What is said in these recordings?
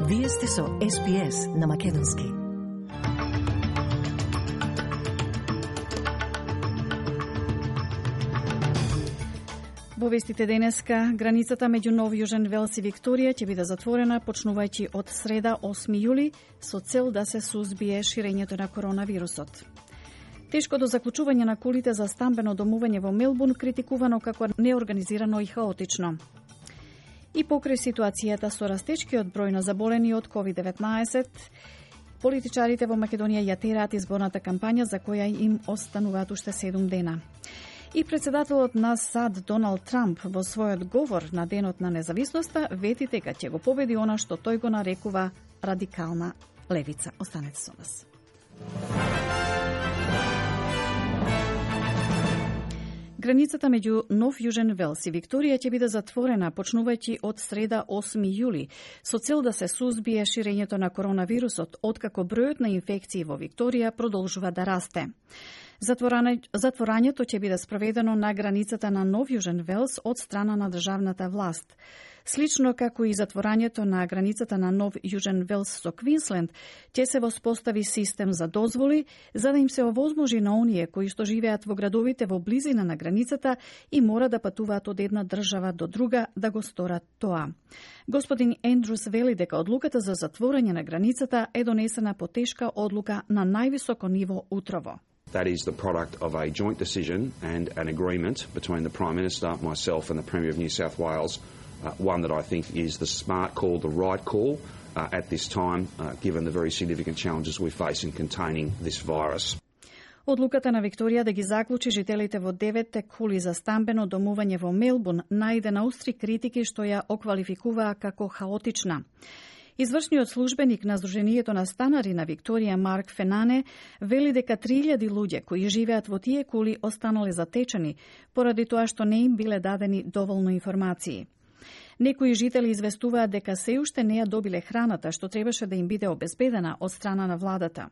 Вие сте со SBS на Македонски. Во вестите денеска, границата меѓу Нов Јужен Велс и Викторија ќе биде затворена почнувајќи од среда 8 јули со цел да се сузбие ширењето на коронавирусот. Тешкото заклучување на кулите за стамбено домување во Мелбурн критикувано како неорганизирано и хаотично. И покрај ситуацијата со растечкиот број на заболени од COVID-19, политичарите во Македонија ја тераат изборната кампања за која им остануваат уште 7 дена. И председателот на САД Доналд Трамп во својот говор на Денот на независноста вети дека ќе го победи она што тој го нарекува радикална левица. Останете со нас. Границата меѓу Нов Јужен Велс и Викторија ќе биде затворена почнувајќи од среда 8 јули со цел да се сузбие ширењето на коронавирусот, откако бројот на инфекции во Викторија продолжува да расте. Затворањето ќе биде спроведено на границата на Нов Јужен Велс од страна на државната власт. Слично како и затворањето на границата на Нов Јужен Велс со Квинсленд, ќе се воспостави систем за дозволи за да им се овозможи на оние кои што живеат во градовите во близина на границата и мора да патуваат од една држава до друга да го сторат тоа. Господин Ендрус вели дека одлуката за затворање на границата е донесена по тешка одлука на највисоко ниво утрово. That is the product of a joint decision and an agreement between the Prime Minister, myself and the Premier of New South Wales, one that I think is the smart call, the right call at this time, given the very significant challenges we face in containing this virus. Одлуката на Викторија да ги заклучи жителите во 9 кули за стамбено домување во Мелбурн најде на устри критики што ја оквалификуваа како хаотична. Извршниот службеник на Сдруженијето на станари на Викторија Марк Фенане вели дека 3000 луѓе кои живеат во тие кули останале затечени поради тоа што не им биле дадени доволно информации. Некои жители известуваат дека се уште не ја добиле храната што требаше да им биде обезбедена од страна на владата.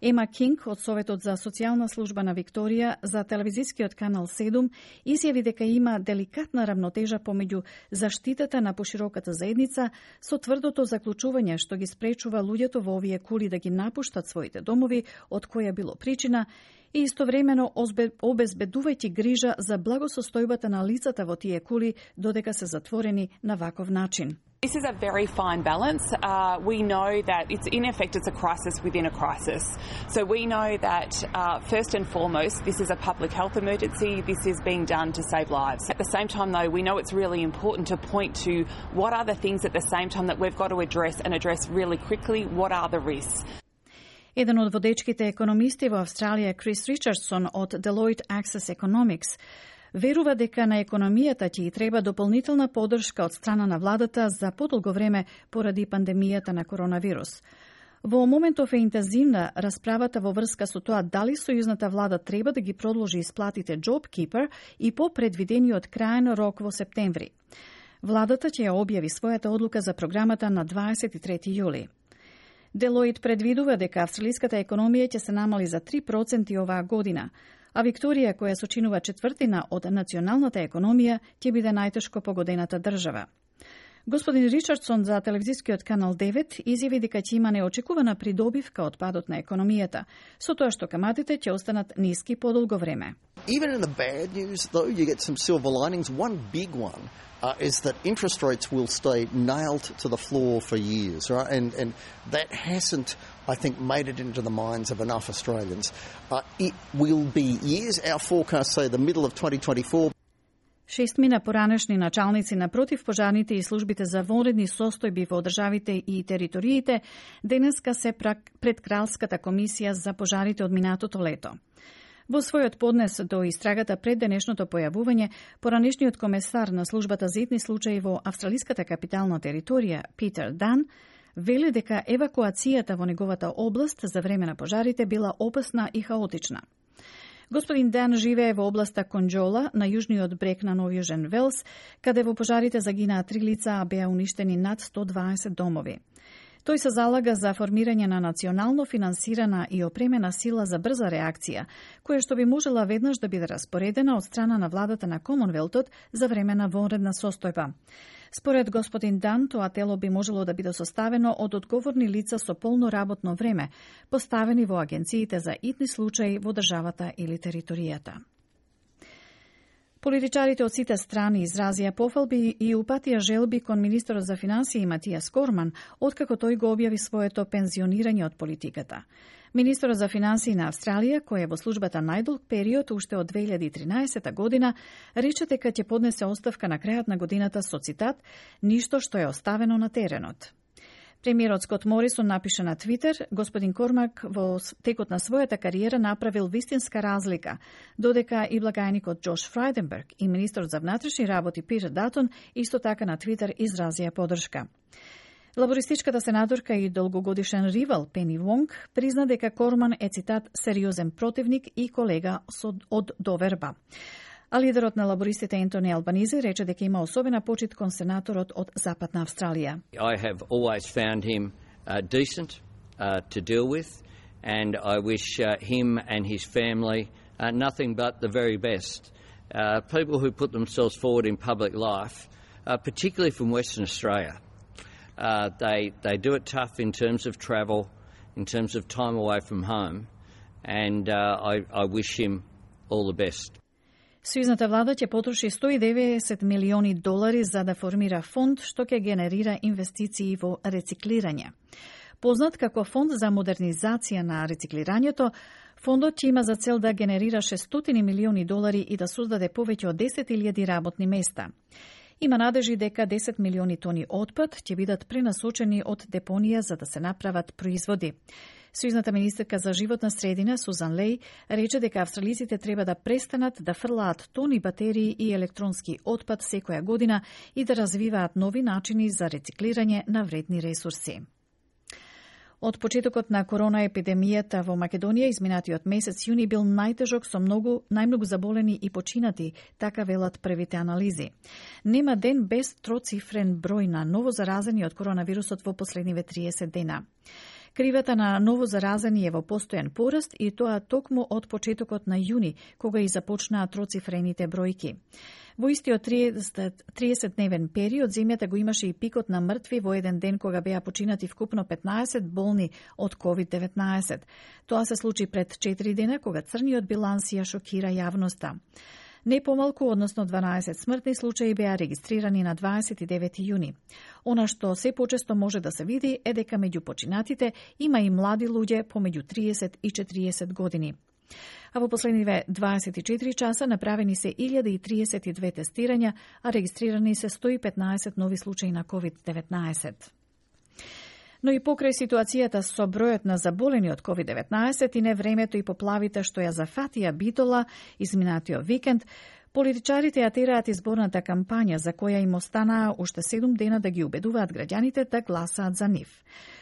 Ема Кинг од Советот за социјална служба на Викторија за телевизискиот канал 7 изјави дека има деликатна равнотежа помеѓу заштитата на пошироката заедница со тврдото заклучување што ги спречува луѓето во овие кули да ги напуштат своите домови, од која било причина, и истовремено обезбедувајќи грижа за благосостојбата на лицата во тие кули додека се затворени на ваков начин. This is a very fine balance. We know that in effect it's a crisis within a crisis. So we know that first and foremost this is a public health emergency. This is being done to save lives. At the same time though, we know it's really important to point to what are the things at the same time that we've got to address really quickly. What are the risks? Еден од водечките економисти во Австралија, Крис Ричардсон од Deloitte Access Economics, верува дека на економијата ќе и треба дополнителна поддршка од страна на владата за подолго време поради пандемијата на коронавирус. Во моментов е интензивна расправата во врска со тоа дали сојузната влада треба да ги продолжи исплатите JobKeeper и по предвидениот крајен рок во септември. Владата ќе ја објави својата одлука за програмата на 23 јули. Deloitte предвидува дека австралиската економија ќе се намали за 3% оваа година, а Викторија, која сочинува четвртина од националната економија, ќе биде најтешко погодената држава. Господин Ричардсон за телевизискиот канал 9 изјави дека ќе има неочекувана придобивка од падот на економијата, со тоа што каматите ќе останат ниски подолго време. Even in the bad news, though, you get some silver linings. One big one is that interest rates will stay nailed to the floor for years, right? And that hasn't, I think, made it into the minds of enough Australians. It will be years. Our forecasts say the middle of 2024. 6 поранешни началници на противпожарните и службите за вонредни состојби во државите и териториите денеска се пред Кралската комисија за пожарите од минатото лето. Во својот поднес до истрагата пред денешното појавување, поранешниот комесар на службата за итни случаи во австралиската капитална територија, Питер Дан, вели дека евакуацијата во неговата област за време на пожарите била опасна и хаотична. Господин Дан живее во областа Конџола, на јужниот брег на Нов Јужен Велс, каде во пожарите загинаа 3 лица, а беа уништени над 120 домови. Тој се залага за формирање на национално финансирана и опремена сила за брза реакција, која што би можела веднаш да биде распоредена од страна на владата на Комонвелтот за време на вонредна состојба. Според господин Дан, тоа тело би можело да биде составено од одговорни лица со полно работно време, поставени во агенциите за итни случаи во државата или територијата. Политичарите од сите страни изразија пофалби и упатија желби кон министерот за финансии Матијас Корман, откако тој го објави своето пензионирање од политиката. Министерот за финансии на Австралија, кој е во службата најдолг период уште од 2013 година, рече дека ќе поднесе оставка на крајот на годината со цитат «Ништо што е оставено на теренот». Премиерот Скот Морисон напише на Твитер, господин Кормак во текот на својата кариера направил вистинска разлика, додека и благајникот Џош Фрајденберг и министерот за внатрешни работи Питер Датон исто така на Твитер изразија подршка. Лабористичката сенаторка и долгогодишен ривал Пени Вонг призна дека Корман е цитат сериозен противник и колега од доверба. А лидерот на лабористите Ентони Албанизе рече дека има особена почит кон сенаторот од Западна Австралија. I have always found him decent to deal with, and I wish him and his family nothing but the very best. People who put themselves forward in public life, particularly from Western Australia, they do it tough in terms of travel, in terms of time away from home, and I wish him all the best. Сојузната влада ќе потроши $190 милиони за да формира фонд што ќе генерира инвестиции во рециклирање. Познат како фонд за модернизација на рециклирањето, фондот ќе има за цел да генерира $600 милиони и да создаде повеќе од 10.000 работни места. Има надежи дека 10 милиони тони отпад ќе бидат пренасочени од депонија за да се направат производи. Сојузната министерка за животна средина Сузан Леј рече дека австралиците треба да престанат да фрлаат тони батерии и електронски отпад секоја година и да развиваат нови начини за рециклирање на вредни ресурси. Од почетокот на корона епидемијата во Македонија изминатиот месец јуни бил најтежок со најмногу заболени и починати, така велат првите анализи. Нема ден без троцифрен број на ново заразени од коронавирусот во последниве 30 дена. Кривата на ново заразени е во постојан пораст и тоа токму од почетокот на јуни, кога и започнаа троцифрените бројки. Во истиот 30-дневен период земјата го имаше и пикот на мртви во еден ден кога беа починати вкупно 15 болни од COVID-19. Тоа се случи пред 4 дена кога црниот биланс ја шокира јавноста. Не помалку, односно 12 смртни случаи беа регистрирани на 29 јуни. Она што се почесто може да се види е дека меѓу починатите има и млади луѓе помеѓу 30 и 40 години. А во последниве 24 часа направени се 1032 тестирања, а регистрирани се 115 нови случаи на COVID-19. Но и покрај ситуацијата со бројот на заболени од COVID-19 и невремето и поплавите што ја зафатија Битола изминатиот викенд, политичарите ја тераат изборната кампања за која им останаа уште 7 дена да ги убедуваат граѓаните да гласаат за нив.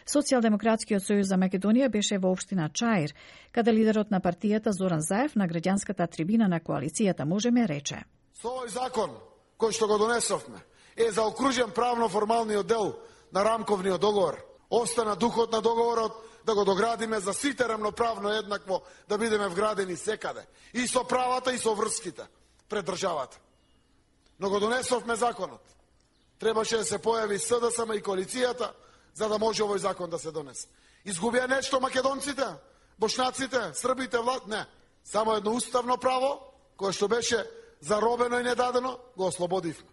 Социјалдемократскиот сојуз за Македонија беше во општина Чаир, каде лидерот на партијата Зоран Заев на граѓанската трибина на коалицијата Можеме рече: Со овој закон кој што го донесовме е заокружен правно-формалниот дел на рамковниот договор. Остана духот на договорот да го доградиме за сите рамноправно еднакво, да бидеме вградени секаде. И со правата, и со врските пред државата. Но го донесовме законот. Требаше да се појави СДСМ и коалицијата, за да може овој закон да се донесе. Изгубија нешто македонците, бошнаците, србите, не. Само едно уставно право, кое што беше заробено и недадено, го ослободивме.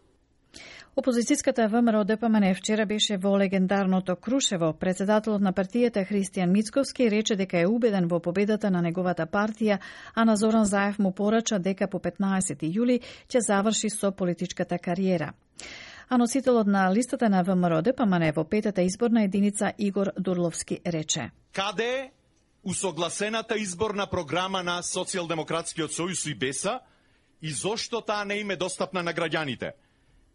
Опозицијската ВМРО ДПМН вчера беше во легендарното Крушево. Председателот на партијата Христијан Мицковски рече дека е убеден во победата на неговата партија, а на Зоран Заев му порача дека по 15 јули ќе заврши со политичката кариера. А носителот на листата на ВМРО ДПМН во петата изборна единица Игор Дурловски рече: Каде е усогласената изборна програма на Социјалдемократскиот сојуз и БЕСА и зошто таа не им е достапна на граѓаните?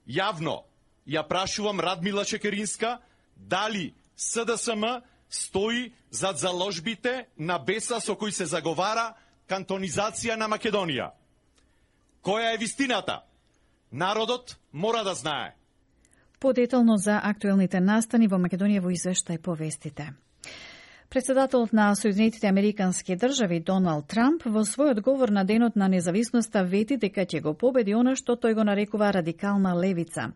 Јавно ја прашувам Радмила Шекеринска дали СДСМ стои зад заложбите на БЕСА со кои се заговара кантонизација на Македонија. Која е вистината? Народот мора да знае. Подетално за актуелните настани во Македонија во извештај повестите. Председателот на Соединетите Американски држави Доналд Трамп во свој одговор на денот на независноста вети дека ќе го победи она што тој го нарекува радикална левица.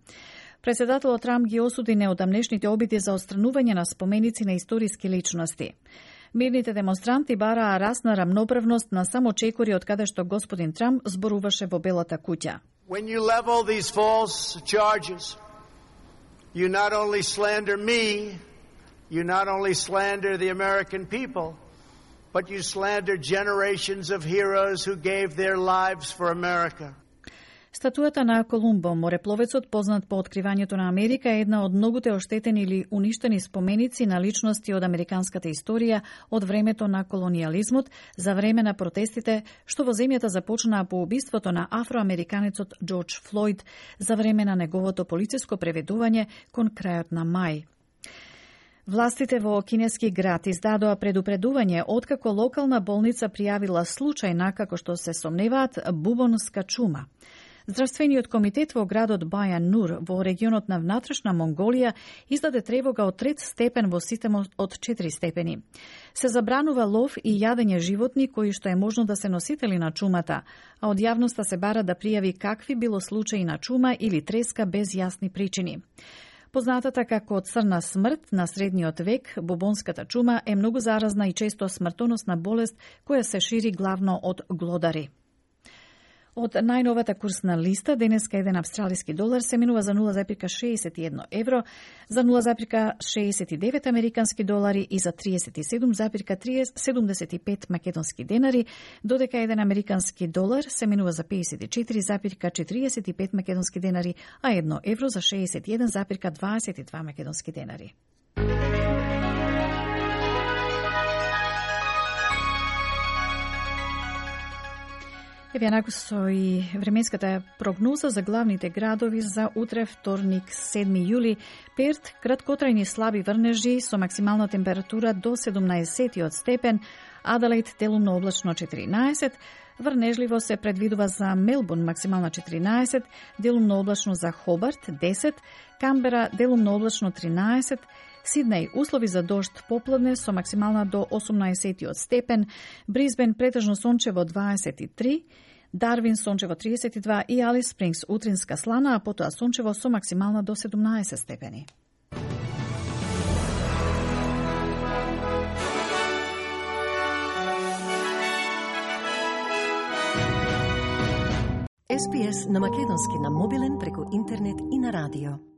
Председателот Трамп ги осуди неодамнешните обиди за отстранување на споменици на историски личности. Мирните демонстранти бараа расна рамноправност на само чекори од каде што господин Трамп зборуваше во Белата куќа. When you level these false charges, you not only slander me, you not only slander the American people, but you slander generations of heroes who gave their lives for America. Статујата на Колумбо, морепловецот познат по откривањето на Америка, е една од многуте оштетени или уништени споменици на личности од американската историја од времето на колонијализмот, за време на протестите што во земјата започнаа по убиството на афроамериканецот Џорџ Флојд, за време на неговото полициско преведување кон крајот на мај. Властите во кинески град издадоа предупредување откако локална болница пријавила случај на, како што се сомневаат, бубонска чума. Здравствениот комитет во градот Бајан Нур во регионот на внатрешна Монголија издаде тревога од 3 степен во системот од 4 степени. Се забранува лов и јадење животни кои што е можно да се носители на чумата, а од јавноста се бара да пријави какви било случаи на чума или треска без јасни причини. Познатата како црна смрт на средниот век, бубонската чума е многу заразна и често смртоносна болест која се шири главно од глодари. Од најновата курсна листа, денеска еден австралиски долар се минува за 0,61 евро, за 0,69 американски долари и за 37,75 македонски денари, додека еден американски долар се минува за 54,45 македонски денари, а 1 евро за 61,22 македонски денари. Еве накако со и временската прогноза за главните градови за утре, вторник, 7 јули. Перт, краткотрајни слаби врнежи со максимална температура до 17 степен, Аделаид делумно облачно 14, врнежливо се предвидува за Мелбурн максимална 14, делумно облачно за Хобарт 10, Камбера делумно облачно 13, Сиднеј услови за дожд попладне со максимална до 18 степен, Брисбен претежно сончево 23, Дарвин сончево 32 и Алис Спрингс утринска слана, а потоа сончево со максимална до 17 степени. SPS на македонски на мобилен преку интернет и на радио.